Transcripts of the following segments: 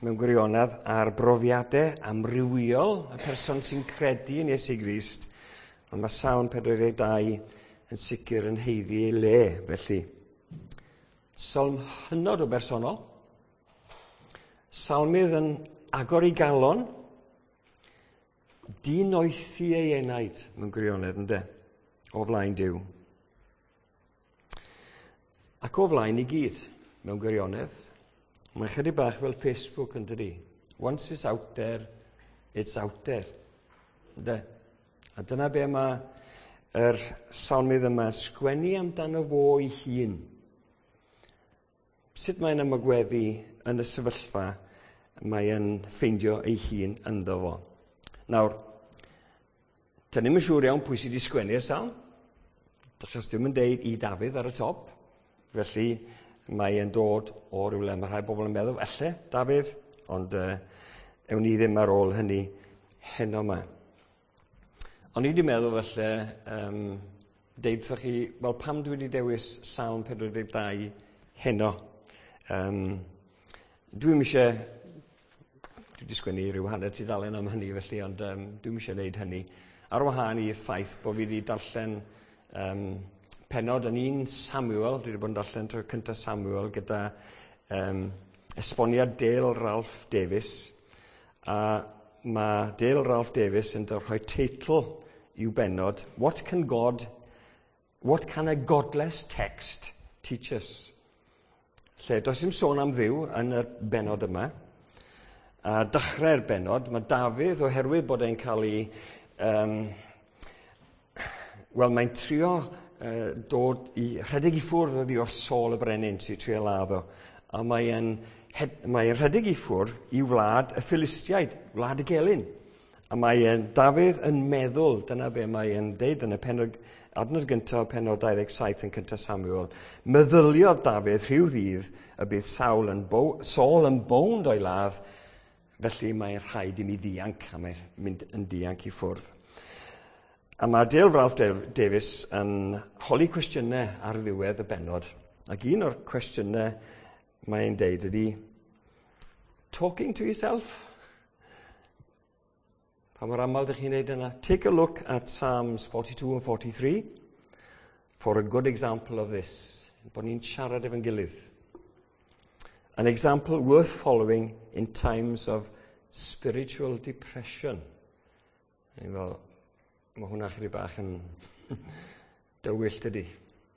mewn gwirionedd ar brofiadau amrywiol y person sy'n credu yn Iesu Grist, ond mae Salm 42 yn sicr yn haeddu ei le, felly. Salm hynod o bersonol. Salmydd yn agor ei galon, dinoethi ei enaid mewn gwirionedd, ynde, o flaen Duw. Ac o flaen i gyd, mewn gwirionedd. Mae'n chydig bach fel Facebook, yn dydi? Once it's out there, it's out there. Ynde? A dyna be mae yr salmydd yma sgwennu amdano fo ei hun. Sut mae'n ymagweddu yn y sefyllfa mae'n ffeindio ei hun ynddo fo. Nawr, dyn ni'm yn siŵr iawn pwy sydd wedi sgwennu'r salm. Achos dwi'm yn deud i Dafydd ar y top. Felly mae e'n dod o rywle. Mae rhai bobl yn meddwl, elle, Dafydd, ond ewn ni ddim ar ôl hynny heno yma. O'n i wedi meddwl felly, deud wrthych chi, wel, pam dwi wedi dewis Salm 42 heno? Dwi'm eisiau, dwi wedi sgwennu rhyw hanner tudalen am hynny felly, ond dwi'm eisiau gwneud hynny. Ar wahân i'r ffaith bod fi wedi darllen pennod yn 1 Samuel, dwi wedi bod yn darllen tro cyntaf Samuel gyda esboniad Dale Ralph Davis, a mae Dale Ralph Davis yn rhoi teitl i'w bennod, What can a godless text teach us? Lle does dim sôn am Dduw yn y bennod yma. A dechrau'r bennod, mae Dafydd, oherwydd bod e'n cael ei... Wel, mae'n trio dod i rhedeg i ffwrdd oddi wrth Saul y brenin sy'n trio ladd o. A mae'n mae rhedeg i ffwrdd i wlad y Philistiaid, wlad y gelyn. A mae Dafydd yn meddwl, dyna be mae'n deud yn y pennod, adnod gyntaf, pennod 27 yn cyntaf Samuel, meddyliodd Dafydd rhyw ddydd y bydd Saul yn, bo, Saul yn bownd o'i ladd, felly mae'n rhaid i mi ddianc, a mae'n mynd yn dianc i ffwrdd. A mae Dale Ralph Davis yn holi cwestiynau ar ddiwedd y bennod. Ac un o'r cwestiynau mae'n deud ydy, "Talking to yourself?" Pa mor aml ydych chi'n neud yna? Take a look at Psalms 42 and 43 for a good example of this. Bod ni'n siarad efo'n gilydd. An example worth following in times of spiritual depression. Ni'n fel, mae hwnna chydig bach yn dywyll, dydy.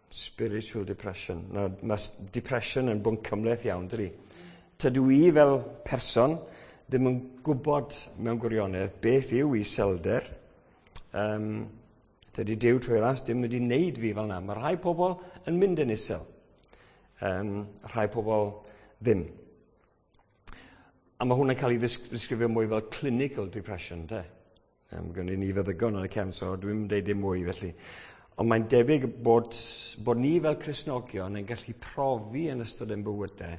Spiritual depression. Now, mae depression yn bwnc cymhleth iawn, dydy. Tydw i fel person ddim yn gwybod mewn gwirionedd beth yw iselder. Dydy Duw trwy ras ddim wedi wneud fi fel yna. Mae rhai pobl yn mynd yn isel. Rhai pobl ddim. A mae hwnna'n cael ei ddisgrifio mwy fel clinical depression, de. Gynnu ni feddygon yn y cefn, so dwi'n deud dim mwy felly. Ond mae'n debyg bod ni fel Cristnogion yn gallu profi yn ystod ein bywydau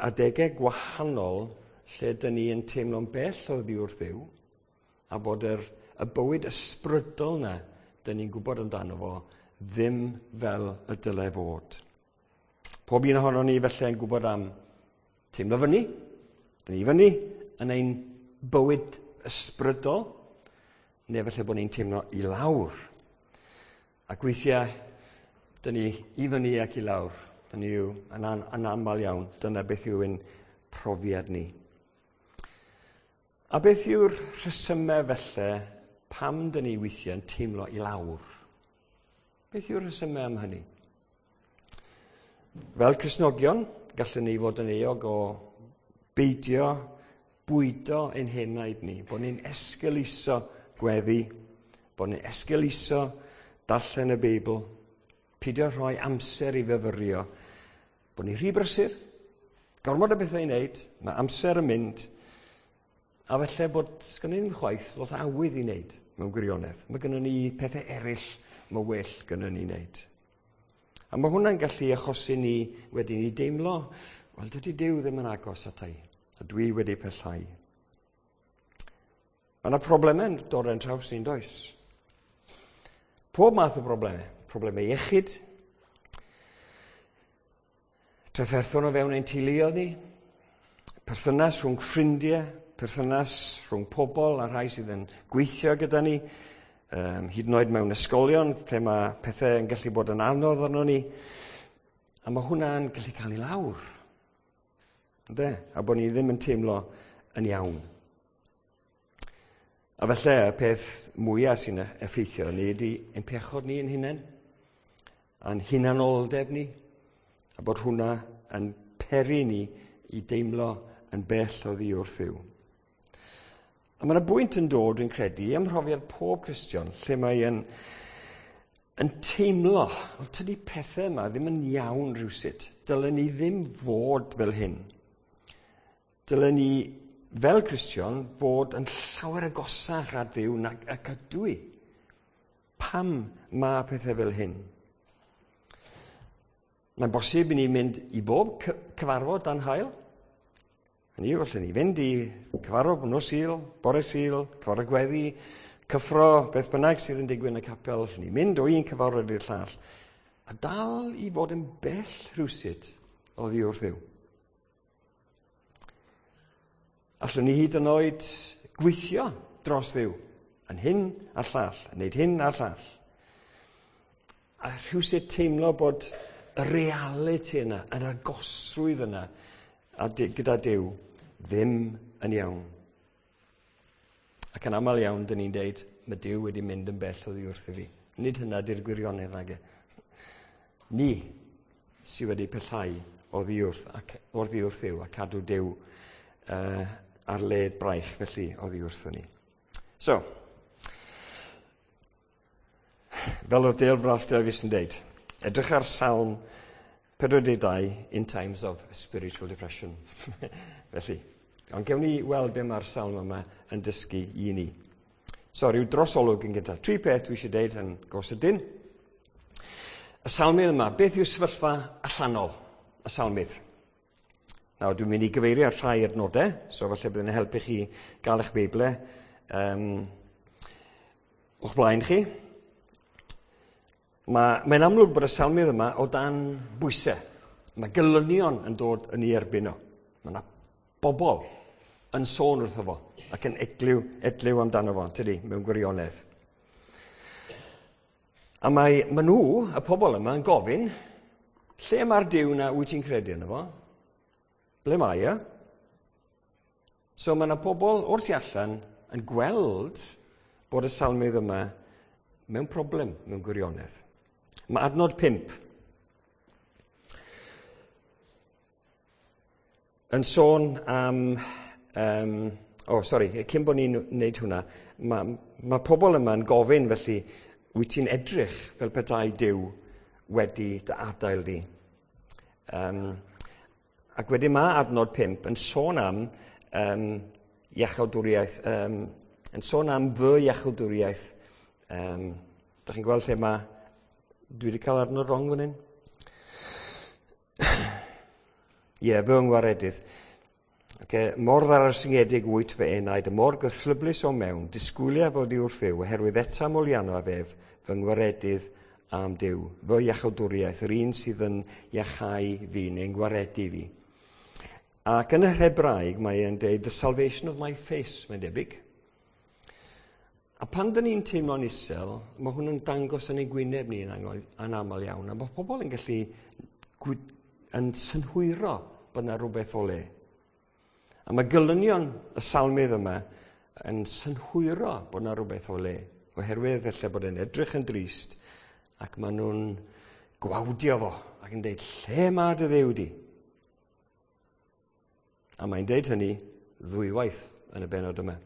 adegau gwahanol lle dyn ni yn teimlo'n bell oddi wrth Dduw a bod y bywyd ysbrydol na dyn ni'n gwybod amdano fo ddim fel y dylai fod. Pob un ohono ni felly yn gwybod am teimlo fyny, dyn ni fyny yn ein bywyd ysbrydol, neu felly bod ni'n teimlo i lawr. Ac weithiau, dyn ni i fyny ac i lawr. Dyn ni yw yn aml iawn, dyna beth yw ein profiad ni. A beth yw'r rhesymau felly pam dyn ni weithiau yn teimlo i lawr? Beth yw'r rhesymau am hynny? Fel Cristnogion, gallwn ni fod yn euog o beidio bwydo ein henaid ni, bod ni'n esgeuluso gweddi, bod ni'n esgeuluso darllen y Beibl, peidio rhoi amser i fyfyrio, bod ni'n rhy brysur, gormod o bethau i wneud, mae amser yn mynd, a felly bod sgynnon ni'm chwaith lot o awydd i wneud mewn gwirionedd. Mae gynnon ni pethau eraill mae well gynnon ni wneud. A mae hwnna'n gallu achosi ni wedyn i deimlo, wel, dydy Duw ddim yn agos ata i, a dwi wedi pellhau. Mae yna problemau'n dod yn traws ni'n does? Pob math o broblemau. Problemau iechyd, trafferthion o fewn ein teuluoedd ni, Perthynas rhwng ffrindiau, perthynas rhwng pobl a rhai sydd yn gweithio gyda ni, hyd yn oed mewn ysgolion, lle mae pethau yn gallu bod yn anodd arno ni. A mae hwnna'n gallu cael ei lawr. Ynde? A bod ni ddim yn teimlo yn iawn. A felly, y peth mwyaf sy'n effeithio ni ydy ein pechod ni yn hunain, a'n hunanoldeb ni, a bod hwnna yn peri ni i deimlo yn bell oddi wrth Dduw. A mae yna bwynt yn dod, dwi'n credu, ym mhrofiad pob Cristion, lle mae yn teimlo, wel, tydi pethau yma ddim yn iawn rhywsut. Dylen ni ddim fod fel hyn. Dylen ni, fel Cristion, fod yn llawer agosach at Dduw nag ac ydw i. Pam mae pethau fel hyn? Mae'n bosib i ni mynd i bob cyfarfod dan haul. Hynny yw, allwn ni fynd i cyfarfod nos Sul, bore Sul, cyfarfod gweddi, cyffro, beth bynnag sydd yn digwydd yn y capel, allwn ni mynd o un cyfarfod i'r llall, a dal i fod yn bell rhywsut oddi wrth Dduw. Allwn ni hyd yn oed gweithio dros Dduw, yn hyn a'r llall, yn gwneud hyn a'r llall. A rhywsut teimlo bod y realiti yna, yr agosrwydd yna a gyda Duw ddim yn iawn. Ac yn aml iawn, dyn ni'n deud, mae Duw wedi mynd yn bell oddi wrth i fi. Nid hynna di'r gwirionedd nage. Ni sydd wedi pellhau oddi wrth, ac, oddi wrth Dduw a cadw Duw ar led braich felly oddi wrthon ni. So, fel oedd Dale Ralph Davies yn deud, edrych ar Salm 42 in times of spiritual depression. Felly, ond gewn ni weld be mae'r salm yma yn dysgu i ni. So, rhyw drosolwg yn gyntaf. Tri peth dwi eisiau deud yn go sydyn. Y salmydd yma, beth yw sefyllfa allanol y salmydd? Nawr, dwi'n mynd i gyfeirio ar rhai adnodau, so falle bydd yn helpu chi gael eich Beible o'ch blaen chi. Mae'n amlwg bod y salmydd yma o dan bwysau. Mae gelynion yn dod yn ei erbyn o. Mae yna bobl yn sôn wrtho fo ac yn edliw amdano fo, tydi, mewn gwirionedd. A mae nhw, y pobl yma, yn gofyn, lle mae'r Duw na wyt ti'n credu yno fo? Ble mae e? So mae yna pobl o'r tu allan yn gweld bod y salmydd yma mewn problem, mewn gwirionedd. Mae adnod 5 yn sôn am... cyn bod ni'n wneud hwnna, mae pobl yma'n gofyn felly, wyt ti'n edrych fel petai Duw wedi dy adael di? Ac wedyn mae adnod 5 yn sôn am iachawdwriaeth, yn sôn am fy iachawdwriaeth. Dach chi'n gweld lle mae... Dwi wedi cael adnod wrong fan hyn? Ie, fy ngwaredydd. Okay, mor ddarsyngedig wyt fy enaid, y mor gythryblus o mewn, disgwyliaf oddi wrth Dduw, oherwydd eta molianno af ef, fy ngwaredydd am Duw, fy iachawdwriaeth, yr un sydd yn iachau fi neu'n gwaredu fi. Ac yn yr Hebraeg mae e'n deud, the salvation of my face, mae'n debyg. A pan dyn ni'n teimlo'n isel, mae hwn yn dangos yn ein gwyneb ni yn aml iawn, a mae pobl yn gallu yn synhwyro bod yna rhywbeth o le. A mae gelynion y salmydd yma yn synhwyro bod yna rhywbeth o le, oherwydd felly bod e'n edrych yn drist, ac maen nhw'n gwawdio fo ac yn deud, lle mae dy Dduw di? A mae'n deud hynny ddwywaith yn y bennod yma.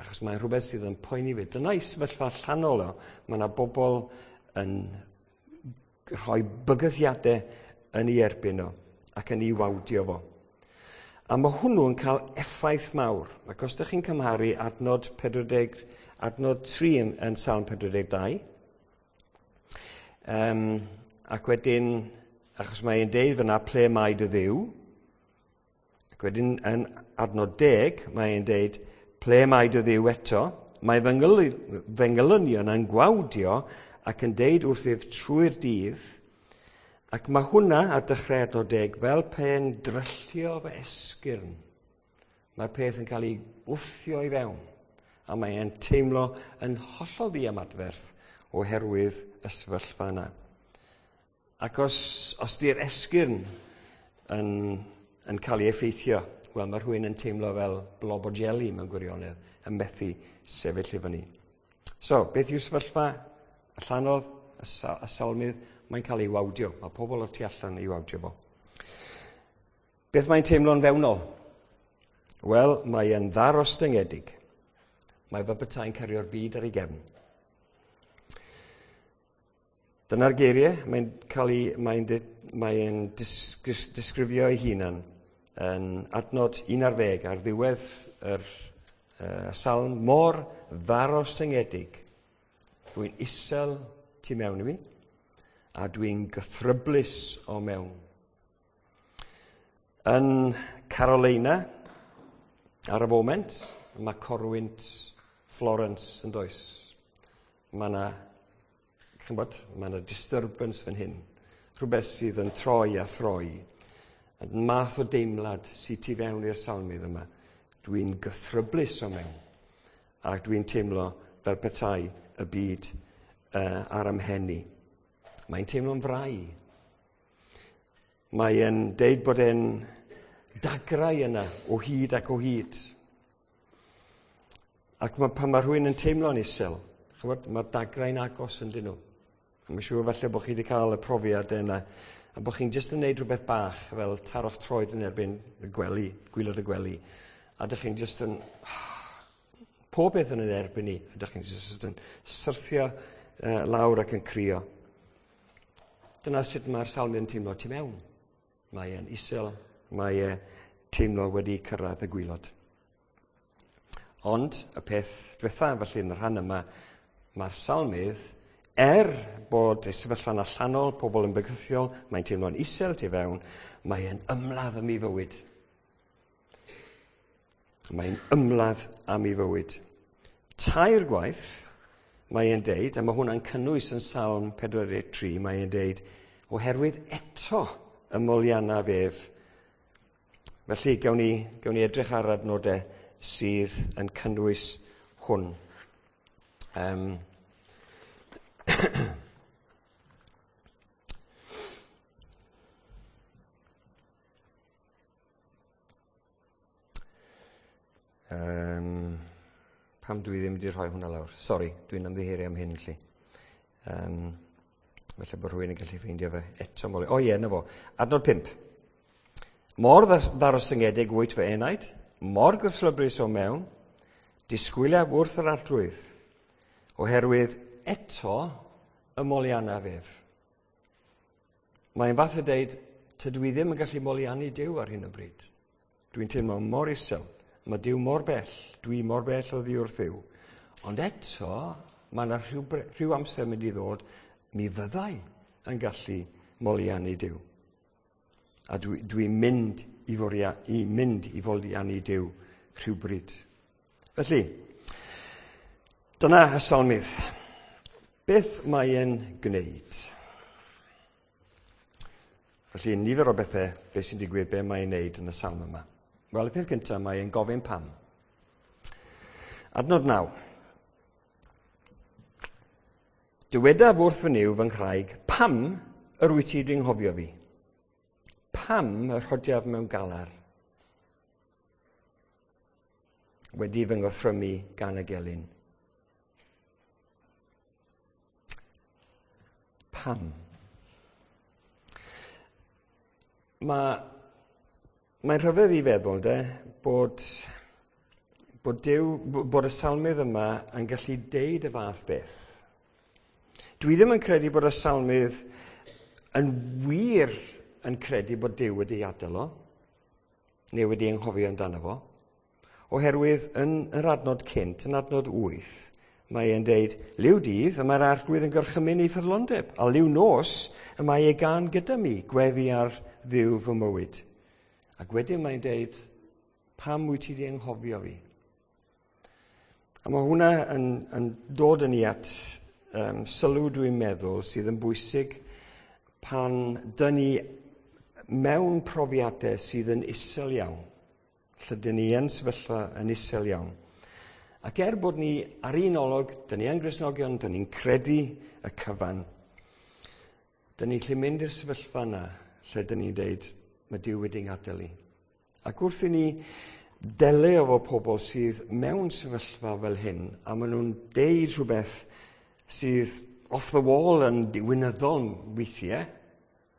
Achos mae'n rhywbeth sydd yn poeni fi. Dyna i sefyllfa allanol o. Mae yna bobl yn rhoi bygythiadau yn ei erbyn o ac yn ei wawdio fo. A mae hwnnw'n cael effaith mawr. Ac os ydych chi'n cymharu adnod 40, adnod 3 yn Salm 42, ac wedyn, achos mae'n deud fyna ple mae dy Dduw, ac wedyn yn adnod 10, mae'n deud ple mae dy Dduw eto, mae fy ngelynion yn gwawdio ac yn deud wrthyf trwy'r dydd, Ac mae hwnna ar dechrau adnod 10 fel pe'n dryllio fy esgyrn. Mae'r peth yn cael ei wthio i fewn, a mae e'n teimlo yn hollol ddiymadferth oherwydd y sefyllfa yna. Ac os di'r esgyrn yn cael ei effeithio, wel, mae rhywun yn teimlo fel blob o jeli mewn gwirionedd, yn methu sefyll i fyny. So, beth yw sefyllfa allanol y salmydd? Mae'n cael ei wawdio. Mae pobl o'r tu allan ei wawdio fo. Beth mae'n teimlo'n fewnol? Wel, mae e'n ddarostyngedig. Mae fel petai'n cario'r byd ar ei gefn. Dyna'r geiriau, mae'n disgrifio ei hunan yn adnod 11 ar ddiwedd yr salm, mor ddarostyngedig. Dwi'n isel tu mewn i mi, a dwi'n gythryblus o mewn. Yn Carolina, ar y foment, mae corwynt Florence yn does. Mae yna, ch'mbod, mae yna disturbance fan hyn. Rhywbeth sydd yn troi a throi. Y math o deimlad sydd tu fewn i'r salmydd yma. Dwi'n gythryblus o mewn. Ac dwi'n teimlo fel petai y byd ar ymhen i. Mae'n teimlo'n frau. Mae'n deud bod e'n dagrau yna o hyd ac o hyd. Ac pan mae rhywun yn teimlo'n isel, ch'mod, mae'r dagrau'n agos yn dyn nhw. A mae'n siŵr falle bod chi wedi cael y profiad yna, a bod chi'n jyst yn neud rhywbeth bach fel taro'ch troed yn erbyn y gwely, gwaelod y gwely, a dych chi'n jyst yn... Pob beth yn yn erbyn ni, a dych chi'n jyst yn syrthio lawr ac yn crio. Dyna sut mae'r salmydd yn teimlo tu mewn. Mae e'n isel, mae e teimlo wedi cyrraedd y gwaelod. Ond y peth diwetha, felly yn y rhan yma, mae'r salmydd, bod ei sefyllfa'n allanol, pobl yn bygythiol, mae'n teimlo'n isel tu fewn, mae e'n ymladd am ei fywyd. Mae'n ymladd am ei fywyd. 3 gwaith mae e'n deud, a mae hwnna'n cynnwys yn Salm 43, mae e'n deud, oherwydd eto y moliannaf ef. Felly, gawn ni edrych ar adnodau sydd yn cynnwys hwn. Pam dwi ddim wedi rhoi hwnna lawr? Sori, dwi'n ymddiheurio am hyn, felly. Falle bod rhywun yn gallu ffeindio fe eto. O ie, na fo. Adnod 5. Mor ddarostyngedig wyt fy enaid, mor gythryblus o mewn, disgwyliaf wrth yr Arglwydd, oherwydd eto y moliannaf ef. Mae'n fath o deud, tydw i ddim yn gallu moliannu Duw ar hyn o bryd. Dwi'n teimlo mor isel, mae Duw mor bell, dwi mor bell oddi wrth Dduw. Ond eto, mae yna rhyw amser mynd i ddod, mi fyddai yn gallu moliannu Duw. A dwi'n mynd i foliannu Duw rhywbryd. Felly, dyna y salmydd. Beth mae e'n gwneud? Felly, nifer o bethau, beth sy'n digwydd, be mae'n wneud yn y salm yma. Wel, y peth gyntaf, mae e'n gofyn pam. Adnod 9. Dywedaf wrth fy Nuw fy nghraig, pam yr wyt ti 'di nghofio fi? Pam y rhodiaf mewn galar? Wedi fy ngorthrymu gan y gelyn. Pam? Mae'n rhyfedd i feddwl, de, bod y salmydd yma yn gallu deud y fath beth. Dwi ddim yn credu bod y salmydd yn wir yn credu bod Duw wedi adael o, neu wedi anghofio amdano fo, oherwydd yn yr adnod cynt, yn adnod 8, mae e'n deud, liw dydd, y mae'r Arglwydd yn gorchymyn ei ffyddlondeb, a liw nos, y mae ei gân gyda mi, gweddi ar Dduw fy mywyd. Ac wedyn mae'n deud, pam wyt ti wedi anghofio fi? A mae hwnna yn dod yn ni at sylw dwi'n meddwl sydd yn bwysig. Pan dyn ni mewn profiadau sydd yn isel iawn, lle dyn ni yn sefyllfa yn isel iawn, ac er bod ni ar un olwg, dyn ni yn Gristnogion, dyn ni'n credu y cyfan, dyn ni'n gallu mynd i'r sefyllfa yna lle dyn ni'n deud, mae Duw wedi ngadael i. Ac wrth i ni delio efo pobl sydd mewn sefyllfa fel hyn, a maen nhw'n deud rhywbeth sydd off the wall yn diwinyddol weithiau,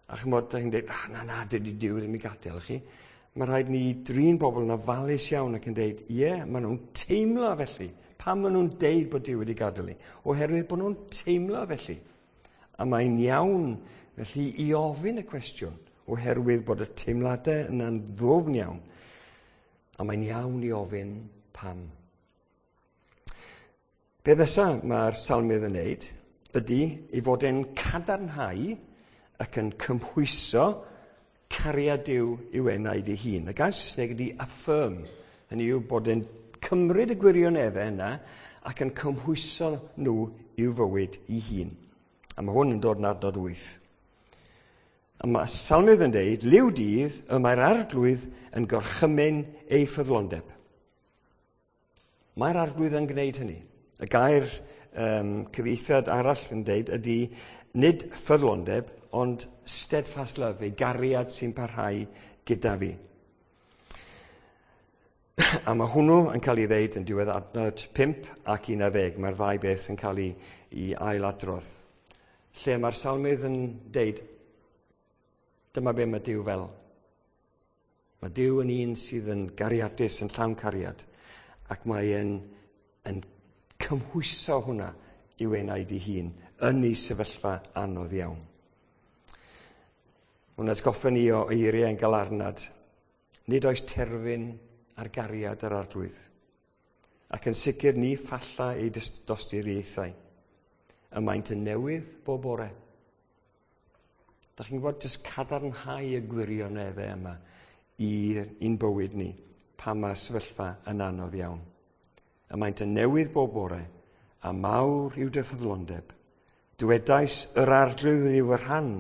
a chymod, da chi'n dweud, ah, na, na, dydy Duw ddim i gadael chi. Mae rhaid ni drin bobl yn ofalus iawn ac yn deud, ie, yeah, maen nhw'n teimlo felly. Pam maen nhw'n deud bod Duw wedi gadael ni? Oherwydd bod nhw'n teimlo felly. A mae'n iawn felly i ofyn y cwestiwn, oherwydd bod y teimladau yna'n ddwfn iawn. A mae'n iawn i ofyn pam. Be nesa mae'r salmydd yn neud ydy ei fod e'n cadarnhau ac yn cymhwyso cariad Duw i'w enaid ei hun. Y gair Saesneg ydy affirm. Hynny yw bod e'n cymryd y gwirioneddau yna ac yn cymhwyso nhw i'w fywyd ei hun. A mae hwn yn dod yn adnod 8. A mae salmydd yn deud, liw dydd y mae'r arglwydd yn gorchymyn ei ffyddlondeb. Mae'r arglwydd yn gwneud hynny. Y gair cyfieithiad arall yn deud ydy nid ffyddlondeb, ond steadfast love, ei gariad sy'n parhau gyda fi. A mae hwnnw yn cael ei ddeud yn diwedd adnod 5 ac 11. Mae'r ddau beth yn cael ei ailadrodd. Lle mae'r salmydd yn deud, dyma be mae Duw fel. Mae Duw yn un sydd yn gariadus, yn llawn cariad, ac mae e'n yn cymhwyso hwnna i'w enaid ei hun yn ei sefyllfa anodd iawn. Mae'n atgoffa ni o eiriau yn galarnad. Nid oes terfyn ar gariad yr arglwydd. Ac yn sicr ni ffalla ei dosturiaethau. Y maent yn newydd bob bore. Da chi'n gwybod jyst cadarnhau y gwirioneddau yma i'n bywyd ni pan mae sefyllfa yn anodd iawn. Y maent yn newydd bob bore, a mawr yw dy ffyddlondeb. Dywedais yr arglwydd yw fy rhan,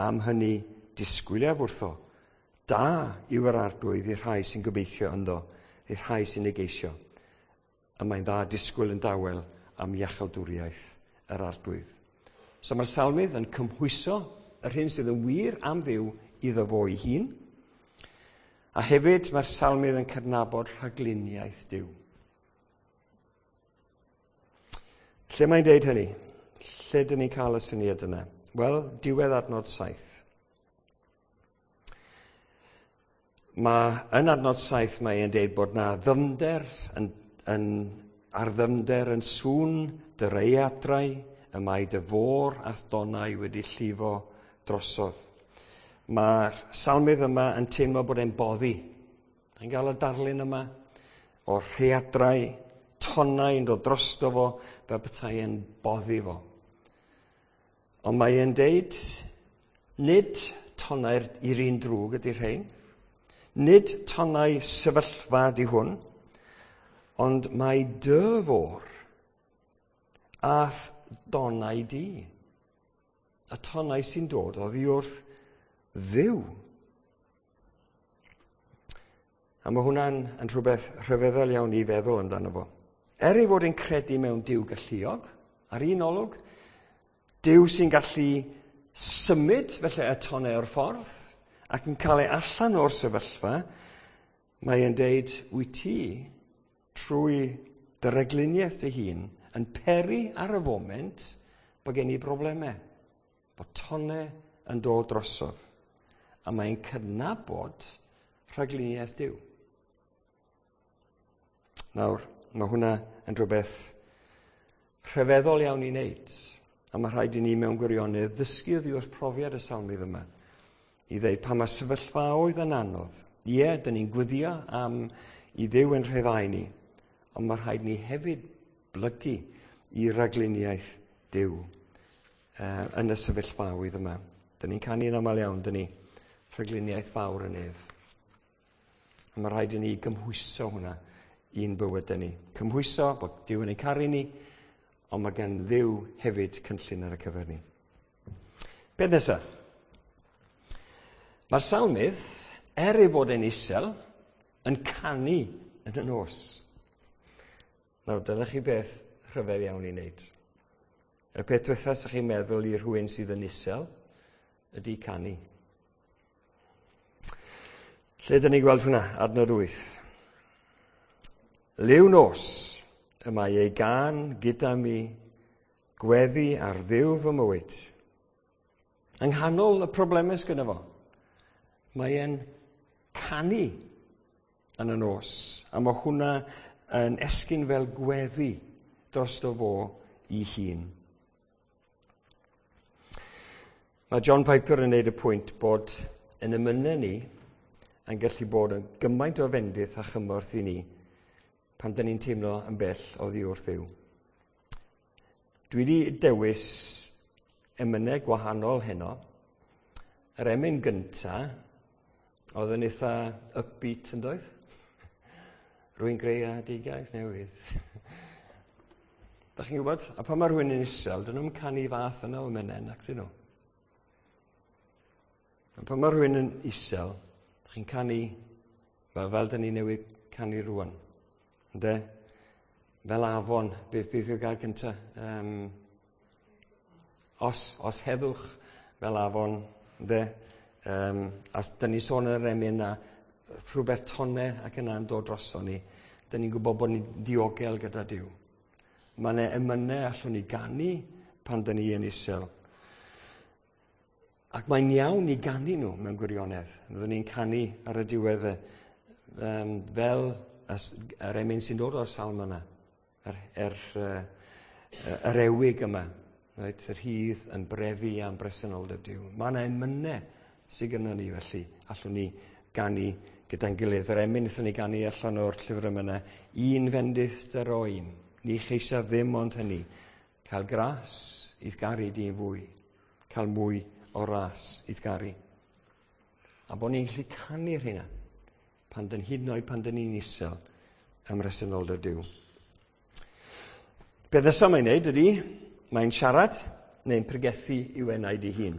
am hynny disgwyliaf wrtho. Da yw yr arglwydd i'r rhai sy'n gobeithio ynddo, i'r rhai sy'n ei geisio. A mae'n dda disgwyl yn dawel am iachawdwriaeth yr arglwydd. So mae'r salmydd yn cymhwyso yr hyn sydd yn wir am Dduw iddo fo ei hun. A hefyd mae'r salmydd yn cydnabod rhagluniaeth Duw. Lle mae'n deud hynny? Lle dyn ni'n cael y syniad yna? Wel, diwedd adnod 7. Mae yn adnod 7 mae e'n deud bod na ddyfnder yn ar ddyfnder yn sŵn dy raeadrau, y mae dy fôr a'th donau wedi llifo drosodd. Mae'r salmydd yma yn teimlo bod e'n boddi. Yn gael y darlun yma o'r rhaeadrau, tonnau yn dod drosto fo, fel petai e'n boddi fo. Ond mae e'n deud, nid tonnau'r i'r un drwg ydy'r rhain, nid tonnau sefyllfa ydy hwn, ond mae dy fôr a'th donau di. Y tonnau sy'n dod oddi wrth Dduw. A mae hwnna'n yn rhywbeth rhyfeddol iawn i feddwl amdano fo. Er ei fod yn credu mewn Duw galluog, ar un olwg, Duw sy'n gallu symud felly y tonnau o'r ffordd ac yn cael ei allan o'r sefyllfa, mae e'n deud, wyt ti, trwy dy regluniaeth dy hun, yn peri ar y foment bod gen i broblemau, bod tonnau yn dod drosodd. A mae'n cydnabod rhagluniaeth Duw. Nawr, mae hwnna yn rhywbeth rhyfeddol iawn i wneud. A mae rhaid i ni mewn gwirionedd ddysgu oddi wrth profiad y salmydd yma. I ddeud pa mae sefyllfaoedd yn anodd. Ie, dyn ni'n gwyddio am i Dduw yn rhyddhau ni. Ond mae rhaid ni hefyd blygu i ragluniaeth Duw yn y sefyllfaoedd yma. Dyn ni'n canu'n aml iawn, dyn ni, rhagluniaeth fawr yn ef. A mae rhaid i ni gymhwyso hwnna i'n bywydau ni. Cymhwyso bod Duw yn ein caru ni, ond mae gan Dduw hefyd cynllun ar y cyfer ni. Beth nesaf? Mae'r salmydd, er ei bod e'n isel, yn canu yn y nos. Nawr, dyna chi beth rhyfedd iawn i wneud. Y peth diwetha sy'ch chi'n meddwl i rhywun sydd yn isel ydy canu. Lle dyn ni'n gweld hwnna? Adnod 8. Liw nos, y mae ei gan gyda mi gweddi ar Dduw fy mywyd. Yng nghanol y problemau sgynno fo, mae e'n canu yn y nos. A mae hwnna yn esgyn fel gweddi drosto fo i hun. Mae John Piper yn neud y pwynt bod yn emynau ni yn gallu bod yn gymaint o fendith a chymorth i ni pan dyn ni'n teimlo yn bell oddi wrth Dduw. Dwi wedi dewis emynau gwahanol heno. Yr emyn gynta oedd yn eitha upbeat yn doedd? Rwy'n greadigaeth newydd. Da chi'n gwybod? A pan mae rhywun yn isel, dyn nhw'n canu fath yna o emynau, nac dyn nhw. A pan mae rhywun yn isel, chi'n canu fel dyn ni newydd canu rwan. Ynde? Fel afon, beth yw'r gair cynta? Os heddwch fel afon, ynde? A dyn ni sôn yn yr emyn na rhywbeth tonne ac yna'n dod droson ni. Dyn ni'n gwybod bod ni'n ddiogel gyda Duw. Mae yna emynau allwn ni ganu pan dyn ni yn isel. Ac mae'n iawn i ganu nhw mewn gwirionedd. Fyddwn ni'n canu ar y diwedd fel yr emyn sy'n dod o'r salm yna. Yr ewig yma. Right, yr hydd yn brefu am bresenoldeb Duw. Mae yna emynau sydd gynnon ni felly. Allwn ni ganu gyda'n gilydd. Yr emyn wnaethon ni ganu allan o'r llyfr yma, un fendith dy roim. Ni cheisiaf ddim ond hynny. Cael gras i'th garu di'n fwy. Cael mwy o ras i'th garu. A bod ni'n gallu canu'r hynna pan dyn hyd yn oed pan dyn ni'n isel ym mhresenoldeb Duw. Beth nesaf mae'n neud ydy, mae'n siarad neu'n pregethu i'w enaid ei hun.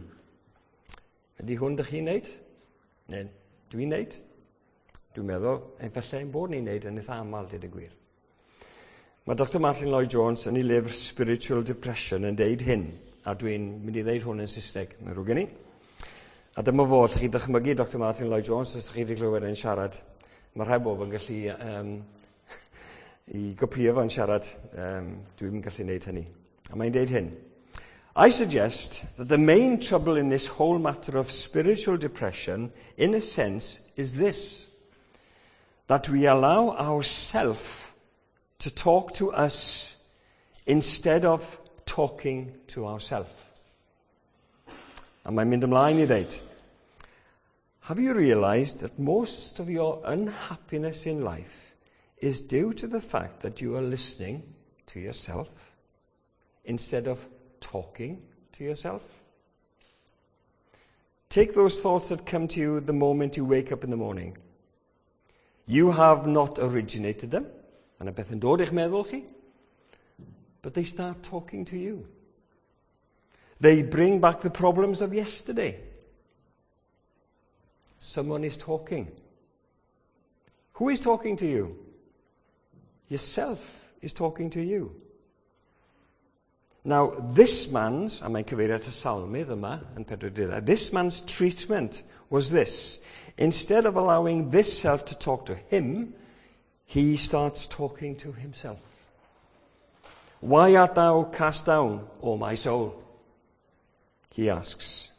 Ydy hwn dych chi'n neud? Neu dwi'n neud? Dwi'n meddwl, efallai ein bod ni'n neud yn eitha aml, dweud y gwir. Mae Dr Martin Lloyd-Jones yn ei lyfr Spiritual Depression yn deud hyn, a dwi'n mynd i ddeud hwn yn Saesneg, mae'n ddrwg gen i. A dyma fo, allwch chi dychmygu Dr Martin Lloyd-Jones os ydych chi wedi clywed e'n siarad. Mae rhai bobl yn gallu i gopio fo'n siarad. Dwi'n gallu gwneud hynny. A mae'n deud hyn. I suggest that the main trouble in this whole matter of spiritual depression, in a sense, is this: that we allow ourselves to talk to us instead of talking to ourselves. A mae'n mynd ymlaen i ddeud, have you realized that most of your unhappiness in life is due to the fact that you are listening to yourself instead of talking to yourself? Take those thoughts that come to you the moment you wake up in the morning. You have not originated them. Mae yna beth yn dod i'ch meddwl chi. But they start talking to you. They bring back the problems of yesterday. Someone is talking. Who is talking to you? Yourself is talking to you. Now, this man's, a mae'n cyfeirio at y salmydd yma yn 42, this man's treatment was this. Instead of allowing this self to talk to him, he starts talking to himself. Why art thou cast down, O my soul? He asks.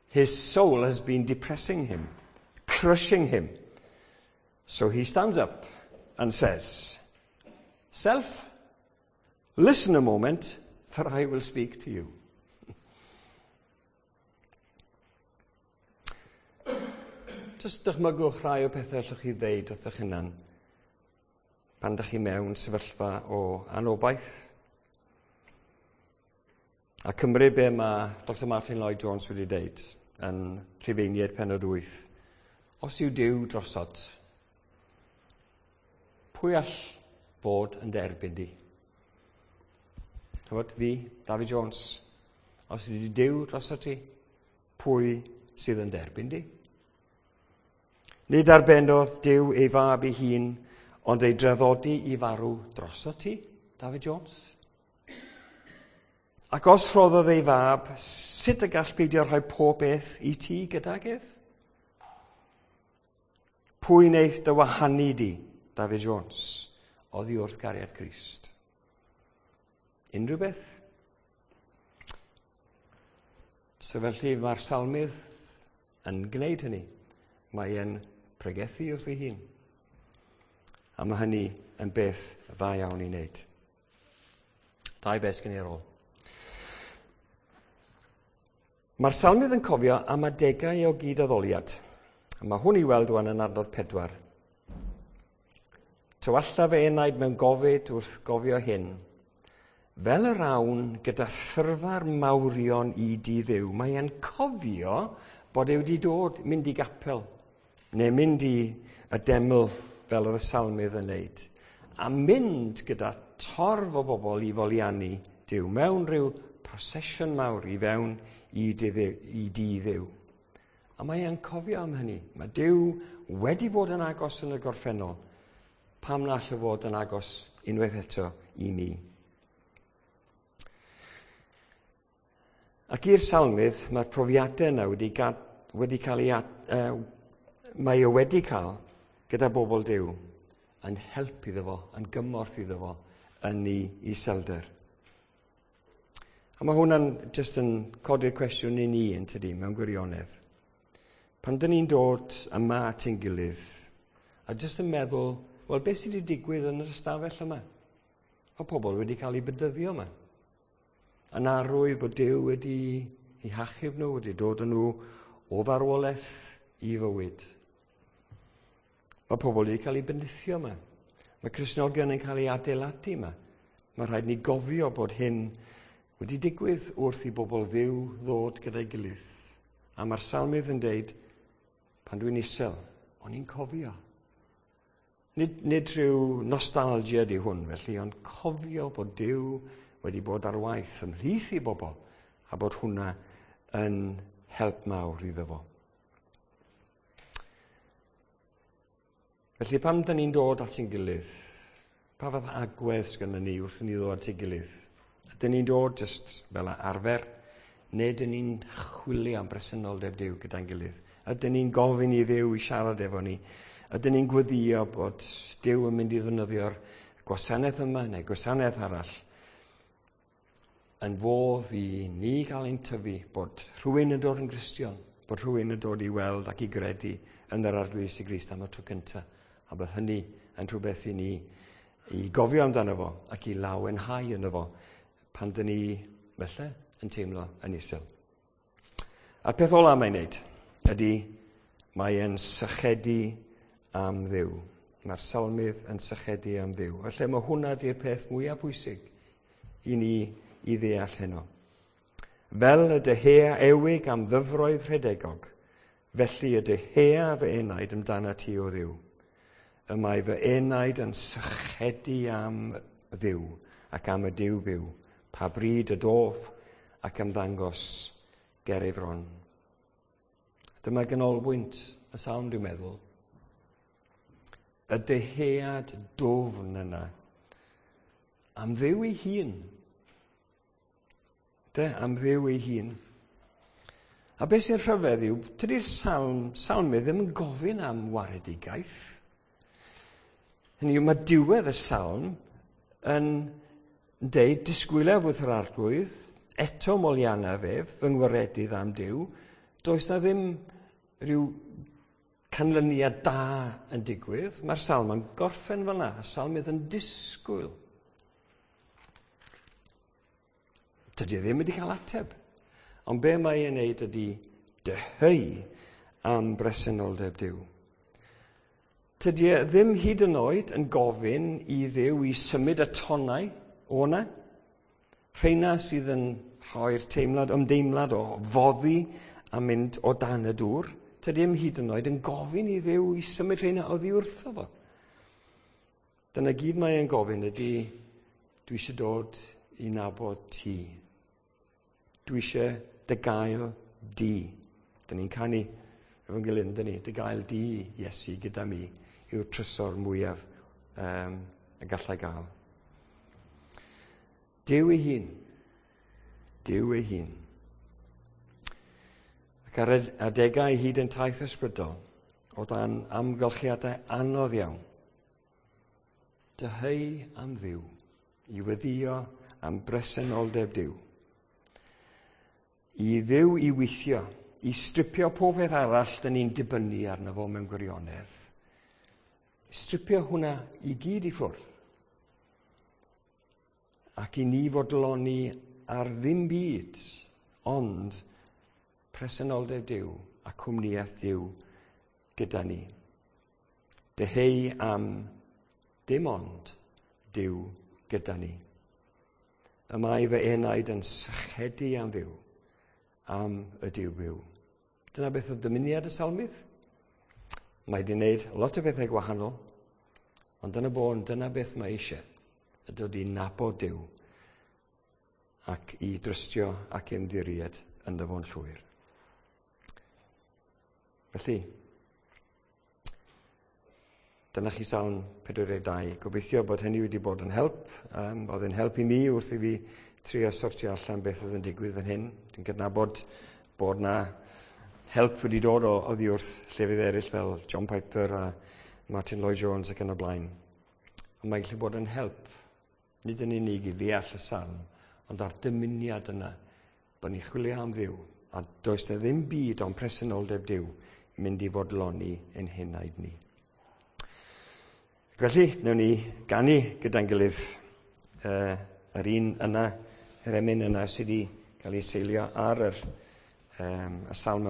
His soul has been depressing him, crushing him. So he stands up and says, Self, listen a moment, for I will speak to you. Just dychmygwch rhai o pethau allwch chi ddeud wrth eich hunan pan dych chi mewn sefyllfa o anobaith. A cymryd be mae Dr Martin Lloyd-Jones wedi deud yn Rhufeiniaid penod 8. Os yw Duw drosod, pwy all fod yn derbyn di? Chymod, fi, David Jones, os yw Duw drosod ti, pwy sydd yn derbyn di? Nid arbennodd Duw ei fab ei hun, ond ei draddodi i farw droso ti, David Jones? Ac os rhoddodd ei fab, sut y gall beidio rhoi pob beth i ti gydag ef? Pwy wneith dy wahanu di, David Jones, oddi wrth gariad Crist? Unrhyw beth? So felly mae'r salmydd yn gwneud hynny. Mae e'n pregethu wrth ei hun. A mae hynny yn beth dda iawn i wneud. Dau beth gen i ar ôl. Mae'r salmydd yn cofio am adegau o gydaddoliad. A mae hwn i weld wan yn adnod 4. Tywalla fy enaid mewn gofid wrth gofio hyn. Fel yr awn gyda thyrfa'r mawrion i di Dduw, mae e'n cofio bod e wedi dod mynd i gapel, neu mynd i y deml fel oedd y salmydd yn neud, a mynd gyda torf o bobl i foliannu Duw mewn rhyw procession mawr i fewn i di Dduw. A mae e'n cofio am hynny. Mae Duw wedi bod yn agos yn y gorffennol. Pam na all e fod yn agos unwaith eto i ni? Ac i'r salmydd, mae'r profiadau yna wedi cael ei, mae o wedi cael gyda bobl Duw yn help iddo fo, yn gymorth iddo fo, yn ei iselder. A mae hwnna'n jyst yn codi'r cwestiwn i ni yn tydi, mewn gwirionedd. Pan dyn ni'n dod yma at ein gilydd, a jyst yn meddwl, wel, beth sydd wedi digwydd yn yr ystafell yma? Mae pobl wedi cael eu bedyddio yma. Yn arwydd bod Duw wedi eu hachub nhw, wedi dod â nhw o farwolaeth i fywyd. Mae pobl wedi cael eu bendithio yma. Mae Cristnogion yn cael eu adeiladu yma. Mae rhaid ni gofio bod hyn wedi digwydd wrth i bobl Dduw ddod gyda'i gilydd. A mae'r salmydd yn deud, pan dwi'n isel, o'n i'n cofio. Nid rhyw nostalgia di hwn felly, ond cofio bod Duw wedi bod ar waith ymhlith i bobl, a bod hwnna yn help mawr iddo fo. Felly pam dyn ni'n dod at ein gilydd, pa fath agwedd sgynnon ni wrth i ni ddod at ein gilydd? Ydyn ni'n dod jyst fel arfer, neu dyn ni'n chwilio am bresenoldeb Duw gyda'n gilydd? Ydyn ni'n gofyn i Dduw i siarad efo ni? Ydyn ni'n gweddio bod Duw yn mynd i ddefnyddio'r gwasanaeth yma neu gwasanaeth arall yn fodd i ni gael ein tyfu, bod rhywun yn dod yn Gristion, bod rhywun yn dod i weld ac i gredu yn yr Arglwydd Iesu Grist am y tro cyntaf, a bod hynny yn rhywbeth i ni i gofio amdano fo ac i lawenhau yno fo pan dyn ni felly yn teimlo yn isel. A'r peth ola mae'n neud ydy mae e'n sychedu am Dduw. Mae'r salmydd yn sychedu am Dduw. Felly mae hwnna di'r peth mwyaf pwysig i ni i ddeall heno. Fel y dyhea ewig am ddyfroedd rhedegog, felly y dyhea fy enaid amdana ti o Dduw. Y mae fy enaid yn sychedu am Dduw ac am y Duw byw, pa bryd y dof ac ymddangos ger ei fron. Dyma ganolbwynt y salm, dwi'n meddwl. Y dyhead dwfn yna am Dduw ei hun. De, am Dduw ei hun. A beth sy'n rhyfedd yw, tydi'r salmydd ddim yn gofyn am waredigaeth. Hynny yw, mae diwedd y salm yn deud, disgwyliaf wrth yr Arglwydd, eto moliannaf ef, fy ngwaredydd am Duw. Does na ddim rhyw canlyniad da yn digwydd. Mae'r salm yn gorffen fel yna. Y salmydd yn disgwyl. Tydi e ddim wedi cael ateb. Ond be mae e'n neud ydy dyheu am bresenoldeb Duw. Tydi e ddim hyd yn oed yn gofyn i Dduw i symud y tonnau o na. Rheina sydd yn rhoi'r teimlad, ymdeimlad o foddi a mynd o dan y dŵr. Tydi e'm hyd yn oed yn gofyn i Dduw i symud rheina oddi wrtho fo. Dyna gyd mae e'n gofyn ydy, dwi eisiau dod i nabod ti. Dwi eisiau dy gael di. Dyn ni'n canu efo'n gilydd, dyn ni, dy gael di, Iesu, gyda mi, yw'r trysor mwyaf y gallai gael. Duw ei hun. Duw ei hun. Ac ar adegau hyd yn taith ysbrydol, o dan amgylchiadau anodd iawn, dyheu am Dduw, i weddio am bresenoldeb Duw. I Dduw i weithio, i stripio pob peth arall dyn ni'n dibynnu arno fo mewn gwirionedd. Stripio hwnna i gyd i ffwrdd. Ac i ni fodloni ar ddim byd, ond presenoldeb Duw a cwmnïaeth Duw gyda ni. Dyheu am dim ond Duw gyda ni. Y mae fy enaid yn sychedu am Dduw, am y Duw byw. Dyna beth oedd dymuniad y salmydd. Mae wedi wneud lot o bethau gwahanol, ond dyna bôn, dyna beth mae eisiau, y dod i nabod Duw ac i drystio ac ymddiried ynddo fo'n llwyr. Felly, dyna chi Salm 42. Gobeithio bod hynny wedi bod yn help. Oedd yn help i mi wrth i fi trio sortio allan beth oedd yn digwydd fan hyn. Dwi'n cydnabod bod na help wedi dod o oddi wrth llefydd eraill fel John Piper a Martin Lloyd-Jones ac yn y blaen. Ond mae'n gallu bod yn help, nid yn unig i ddeall y salm, ond ar dymuniad yna, bod ni'n chwilio am Dduw, a does na ddim byd ond presenoldeb Duw mynd i fodloni ein henaid ni. Felly, wnawn ni ganu gyda'n gilydd yr un yna, yr emyn yna sydd wedi cael ei seilio ar y salm.